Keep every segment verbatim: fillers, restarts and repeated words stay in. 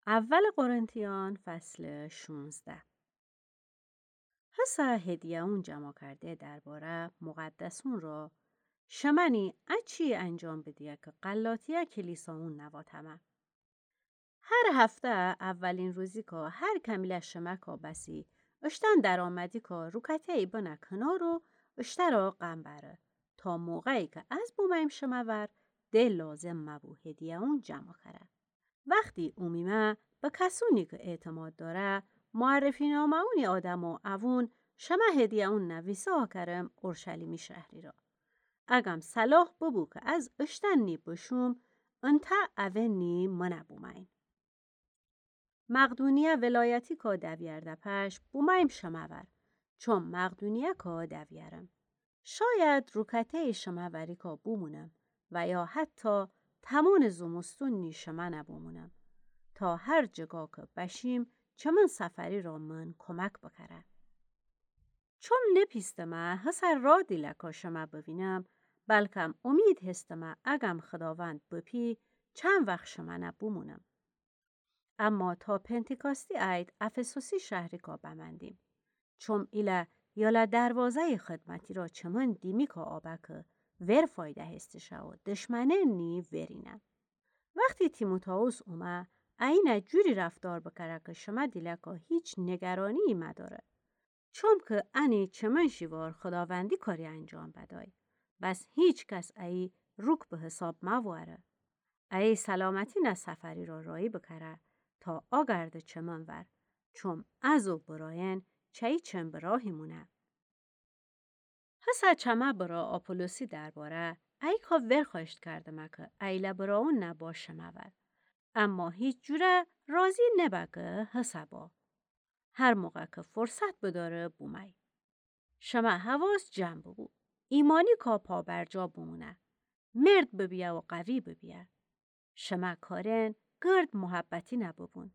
اول قرنتیان، فصل شونزده. هسه هدیه‌اون جمع کرده درباره مقدسون را، شمنی اچی انجام بدیه که غلاطیه کلیساون نواطمه. هر هفته اولین روزیکا هر کمیله شمکا بسی اشتن درآمدیکا روکته‌یی بنه کنار و اشترا غم بره، تا موقعی که از بومیم شمه ور، ده لازم مبو هدیه‌اون جمع کره. وختی اومیمه، به کسونی که اعتماد داره، معرفی‌نامه‌اونی آدم و اوون شمه هدیه‌اون نویسه کرم اورشلیمی شهری را. اگم صلاح ببو که از اشتن نی بشوم، انته اوه نی منه بومین. مقدونیه ولایتیکا دویرده پش بومیم شمه ور، چون مقدونیه‌کا دویرم. شاید روکته‌یی شمه وریکا بومونم و یا حتی تمون زمستون نی شمنه بومونم، تا هر جگا که بشیم چمن سفری را من کمک بکره. چون نپیستمه هسه را دیلکا شمه بوینم، بلکم امید هستمه اگم خداوند بپی چند وخت شمنه بومونم. اما تا پنتیکاستی عید افسوسی شهریکا بمندیم. چون ایله یاله دروازه‌ی خدمتی را چمن دیمیکا آبه که ور فایده هستشه و دشمنه نی ورینه. وختی تیموتائوس اومه، اینه جوری رفتار بکره که شمه دیلکا هیچ نگرانی‌یی مداره. چومکه انی چمن شیوار خداوندی کاری انجام بدای، بس هیچ کس ایی روک به حساب مواره. ایی سلامتی نه سفری را رایی بکره تا آگرده چمن ور، چوم از و براین چه‌یی چن به راهی مونه. هسه چمه برا آپولوسی درباره ایکا ورخوأشت کردمه که ایله براون نه با شمه ور. اما هیچ جوره راضی نبه که هسه با. هر موقع که فرصت بداره بومای. شمه حواس جمع ببو. ایمانیکا پابرجا بمونه. مرد ببیه و قوی ببیه. شمه کارین گرد محبتی نببون.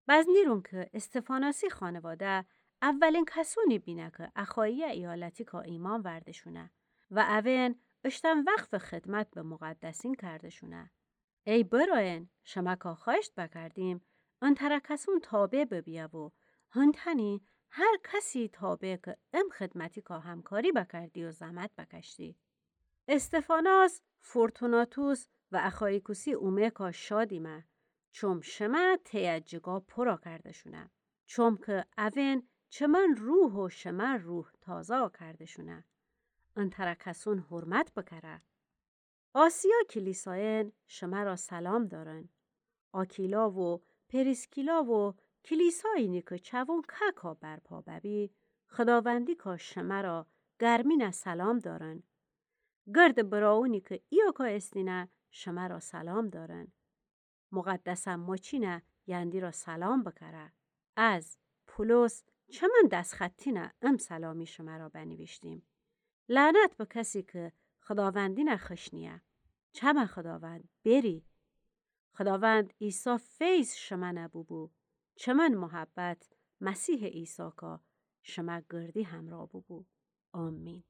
بزنیرون که استفاناسی خانواده اولین کسونی بینه که اخاییه ایالتیکا ایمأن ورده‌شونه و اوین اشتن وقف خدمت به مقدسین کرده‌شونه. ای براین، شمکا خوأشت بکردیم، انتره کسون تابع ببیه و هنتنی هر کسی تابع که ام خدمتیکا همکاری بکردی و زحمت بکشتی. استفاناس، فورتوناتوس و اخایکوسی اومه‌کا شادیمه، چوم شمه ته‌یه جگا پورا کرده‌شونه. چومکه اوین چمن روح و شمه روح تازا کرده‌شونه. انتره کسون حرمت بکره. آسیا کلیسایین شمه را سلام دارن. آکیلا و پریسکیلا و کلیسایینی که چوون که‌کا برپا ببی، خداوندیکا شمه را گرمینه سلام دارن. گرد براونی که ایاکا استینه شمه را سلام دارن. مقدسه مچینه یندی را سلام بکره. از پولس چمن دسخطینه ام سلامی شمه را بنیویشتیم. لعنت به کسی که خداوندینه خشنیه. چمه خداوند بری. خداوند عیسی فیض شمنه ببو. چمن محبت مسیح عیساکا شمه گردی همرا ببو. آمین.